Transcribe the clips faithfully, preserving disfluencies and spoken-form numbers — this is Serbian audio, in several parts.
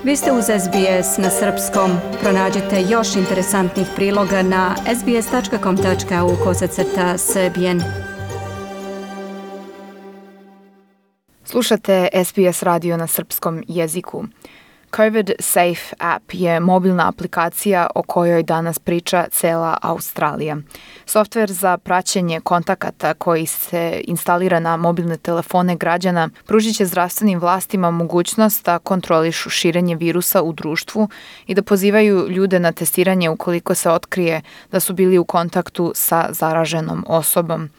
Vi ste uz S B S na srpskom. Pronađite još interesantnih priloga na sbs.com.au kosacrta srbijen. Slušate S B S radio na srpskom jeziku. COVID Safe App je mobilna aplikacija o kojoj danas priča cela Australija. Softver za praćenje kontakata koji se instalira na mobilne telefone građana pružit će zdravstvenim vlastima mogućnost da kontrolišu širenje virusa u društvu i da pozivaju ljude na testiranje ukoliko se otkrije da su bili u kontaktu sa zaraženom osobom.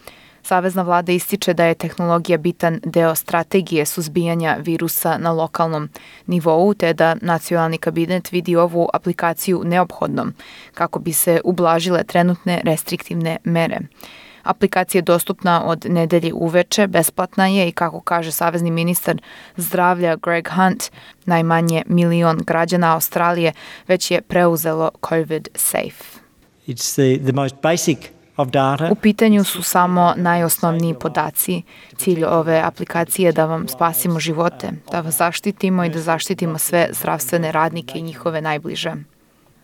Savezna vlada ističe da je tehnologija bitan deo strategije suzbijanja virusa na lokalnom nivou, te da nacionalni kabinet vidi ovu aplikaciju neophodnom kako bi se ublažile trenutne restriktivne mere. Aplikacija je dostupna od nedelje uveče, besplatna je i kako kaže savezni ministar zdravlja Greg Hunt, najmanje milion građana Australije već je preuzelo COVID Safe. It's the, the most basic U pitanju su samo najosnovniji podaci. Cilj ove aplikacije je da vam spasimo živote, da vas zaštitimo i da zaštitimo sve zdravstvene radnike i njihove najbliže.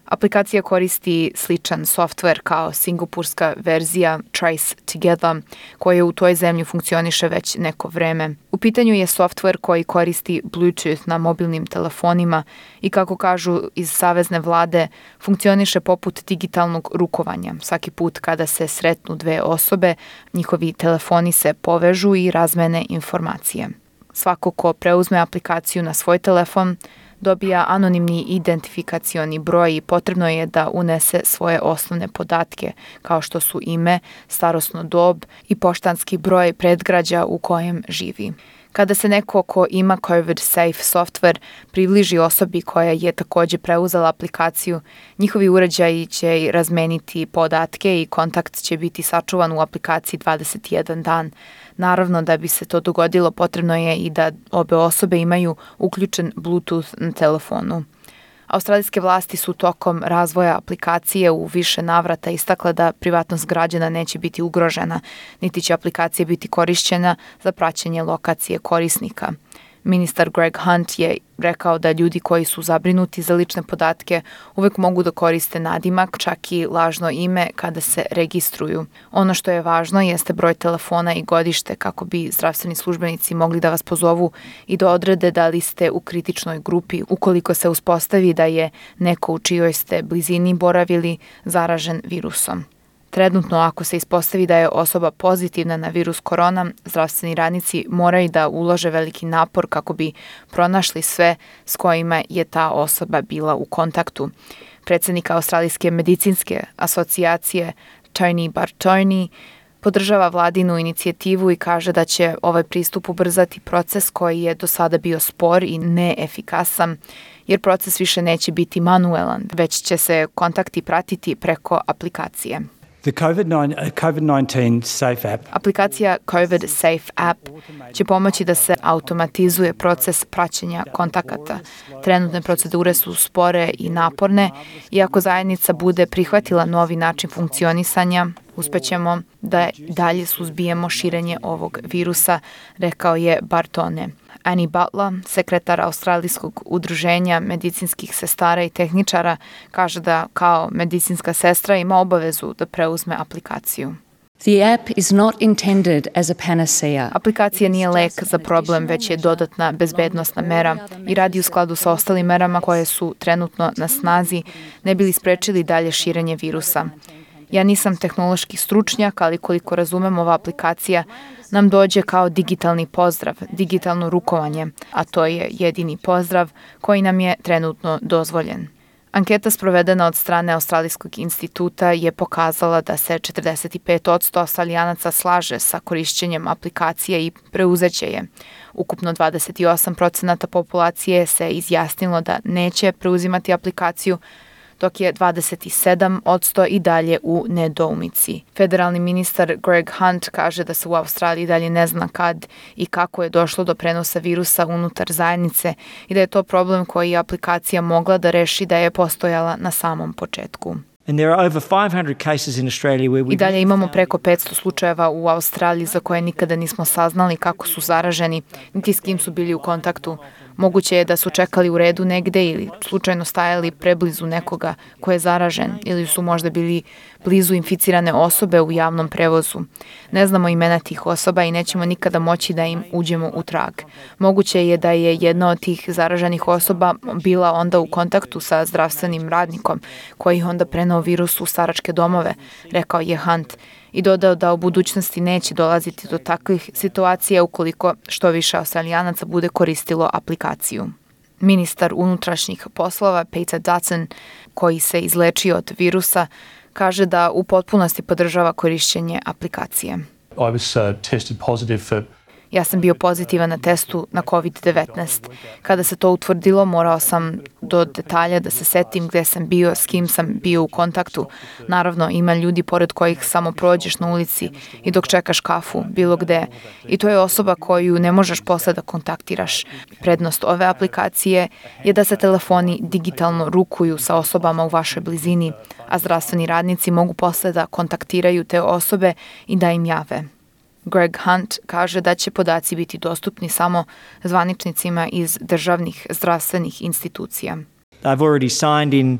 Aplikacija koristi sličan softver kao singapurska verzija Trace Together, koja u toj zemlji funkcioniše već neko vreme. U pitanju je softver koji koristi Bluetooth na mobilnim telefonima i kako kažu iz savezne vlade, funkcioniše poput digitalnog rukovanja. Svaki put kada se sretnu dve osobe, njihovi telefoni se povežu i razmene informacije. Svako ko preuzme aplikaciju na svoj telefon dobija anonimni identifikacioni broj i potrebno je da unese svoje osnovne podatke, kao što su ime, starosnu dob i poštanski broj predgrađa u kojem živi. Kada se neko ko ima COVID Safe software približi osobi koja je također preuzela aplikaciju, njihovi uređaji će razmeniti podatke i kontakt će biti sačuvan u aplikaciji dvadeset jedan dan. Naravno, da bi se to dogodilo, potrebno je i da obe osobe imaju uključen Bluetooth na telefonu. Australijske vlasti su tokom razvoja aplikacije u više navrata istakle da privatnost građana neće biti ugrožena, niti će aplikacija biti korišćena za praćenje lokacije korisnika. Ministar Greg Hunt je rekao da ljudi koji su zabrinuti za lične podatke uvek mogu da koriste nadimak, čak i lažno ime kada se registruju. Ono što je važno jeste broj telefona i godište kako bi zdravstveni službenici mogli da vas pozovu i da odrede da li ste u kritičnoj grupi ukoliko se uspostavi da je neko u čijoj ste blizini boravili zaražen virusom. Trenutno, ako se ispostavi da je osoba pozitivna na virus korona, zdravstveni radnici moraju da ulože veliki napor kako bi pronašli sve s kojima je ta osoba bila u kontaktu. Predsjednik Australijske medicinske asocijacije Tony Bartoni podržava vladinu inicijativu i kaže da će ovaj pristup ubrzati proces koji je do sada bio spor i neefikasan, jer proces više neće biti manuelan, već će se kontakti pratiti preko aplikacije. The COVID nineteen Safe App. Aplikacija COVID Safe App će pomoći da se automatizuje proces praćenja kontakata. Trenutne procedure su spore i naporne i ako zajednica bude prihvatila novi način funkcionisanja, uspećemo da dalje suzbijemo širenje ovog virusa, rekao je Bartone. Annie Butler, sekretar Australijskog udruženja medicinskih sestara i tehničara, kaže da kao medicinska sestra ima obavezu da preuzme aplikaciju. The app is not intended as a panacea. Aplikacija nije lek za problem, već je dodatna bezbednosna mera i radi u skladu sa ostalim merama koje su trenutno na snazi, ne bili sprečili dalje širenje virusa. Ja nisam tehnološki stručnjak, ali koliko razumem, ova aplikacija nam dođe kao digitalni pozdrav, digitalno rukovanje, a to je jedini pozdrav koji nam je trenutno dozvoljen. Anketa sprovedena od strane Australijskog instituta je pokazala da se četrdeset pet posto Australijanaca slaže sa korišćenjem aplikacije i preuzeće je. Ukupno dvadeset osam posto populacije se izjasnilo da neće preuzimati aplikaciju, dok je dvadeset sedam posto i dalje u nedoumici. Federalni ministar Greg Hunt kaže da se u Australiji dalje ne zna kad i kako je došlo do prenosa virusa unutar zajednice i da je to problem koji je aplikacija mogla da reši da je postojala na samom početku. And there are over five hundred cases in Australia where we I dalje imamo preko petsto slučajeva u Australiji za koje nikada nismo saznali kako su zaraženi, niti s kim su bili u kontaktu. Moguće je da su čekali u redu negde ili slučajno stajali preblizu nekoga ko je zaražen ili su možda bili blizu inficirane osobe u javnom prevozu. Ne znamo imena tih osoba i nećemo nikada moći da im uđemo u trag. Moguće je da je jedna od tih zaraženih osoba bila onda u kontaktu sa zdravstvenim radnikom koji onda preneo virus u staračke domove, rekao je Hunt i dodao da u budućnosti neće dolaziti do takvih situacija ukoliko što više Australijanaca bude koristilo aplikaciju. Ministar unutrašnjih poslova Peter Dutton, koji se izlečio od virusa, kaže da u potpunosti podržava korišćenje aplikacije. I was uh, tested positive for Ja sam bio pozitivan na testu na kovid devetnaest. Kada se to utvrdilo, morao sam do detalja da se setim gde sam bio, s kim sam bio u kontaktu. Naravno, ima ljudi pored kojih samo prođeš na ulici i dok čekaš kafu, bilo gde. I to je osoba koju ne možeš posle da kontaktiraš. Prednost ove aplikacije je da se telefoni digitalno rukuju sa osobama u vašoj blizini, a zdravstveni radnici mogu posle da kontaktiraju te osobe i da im jave. Greg Hunt kaže da će podaci biti dostupni samo zvaničnicima iz državnih zdravstvenih institucija. They've already signed in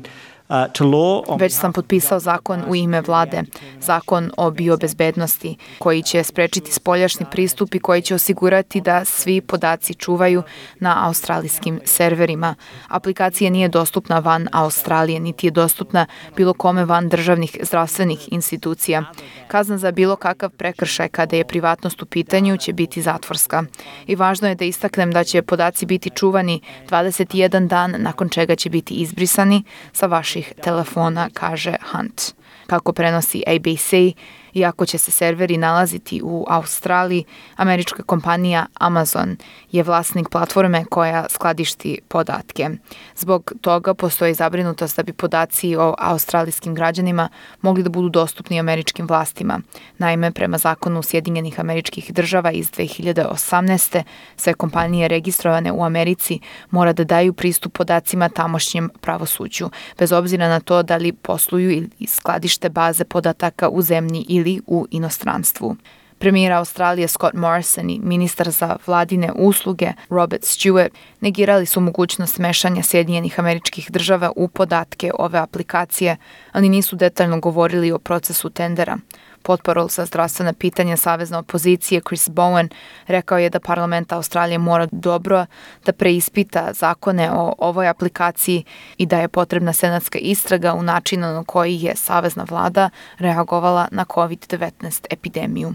uh, to law. on- Već sam potpisao zakon u ime vlade, zakon o biobezbednosti, koji će sprečiti spoljašnji pristup i koji će osigurati da svi podaci čuvaju na australijskim serverima. Aplikacija nije dostupna van Australije, niti je dostupna bilo kome van državnih zdravstvenih institucija. Kazna za bilo kakav prekršaj kada je privatnost u pitanju će biti zatvorska. I važno je da istaknem da će podaci biti čuvani dvadeset jedan dan, nakon čega će biti izbrisani sa vaših telefona, kaže Hunt. Kako prenosi A B C, iako će se serveri nalaziti u Australiji, američka kompanija Amazon je vlasnik platforme koja skladišti podatke. Zbog toga postoji zabrinutost da bi podaci o australijskim građanima mogli da budu dostupni američkim vlastima. Naime, prema zakonu Sjedinjenih Američkih Država iz dve hiljade osamnaeste. sve kompanije registrovane u Americi mora da daju pristup podacima tamošnjem pravosuđu, bez obzira na to da li posluju ili skladište baze podataka u zemlji ili u inostranstvu. Premijer Australije Scott Morrison i ministar za vladine usluge Robert Stewart negirali su mogućnost mešanja Sjedinjenih Američkih Država u podatke ove aplikacije, ali nisu detaljno govorili o procesu tendera. Potparol za zdravstvena pitanja savezne opozicije Chris Bowen rekao je da parlament Australije mora dobro da preispita zakone o ovoj aplikaciji i da je potrebna senatska istraga u načinu na koji je savezna vlada reagovala na kovid devetnaest epidemiju.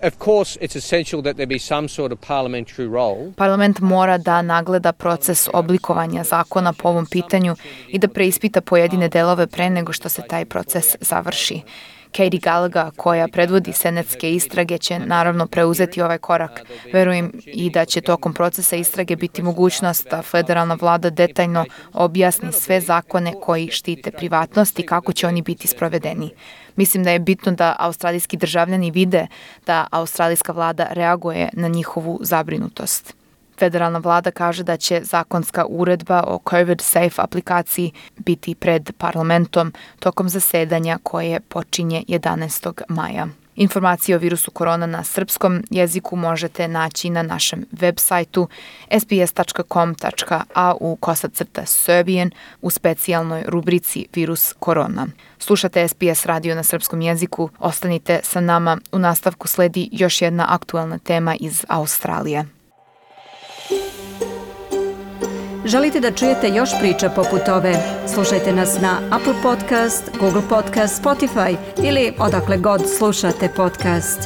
Of course, it's essential that there be some sort of parliamentary role. Parlament mora da nagleda proces oblikovanja zakona po ovom pitanju i da preispita pojedine delove pre nego što se taj proces završi. Katie Gallagher, koja predvodi senatske istrage, će naravno preuzeti ovaj korak. Verujem i da će tokom procesa istrage biti mogućnost da federalna vlada detaljno objasni sve zakone koji štite privatnost i kako će oni biti sprovedeni. Mislim da je bitno da australijski državljani vide da australijska vlada reaguje na njihovu zabrinutost. Federalna vlada kaže da će zakonska uredba o COVID Safe aplikaciji biti pred parlamentom tokom zasedanja koje počinje jedanaestog maja. Informacije o virusu korona na srpskom jeziku možete naći na našem web sajtu s b s tačka com tačka a u kosacrta Serbian u specijalnoj rubrici Virus korona. Slušate S B S radio na srpskom jeziku, ostanite sa nama, u nastavku sledi još jedna aktualna tema iz Australije. Želite da čujete još priča poput ove? Slušajte nas na Apple Podcast, Google Podcast, Spotify ili odakle god slušate podcast.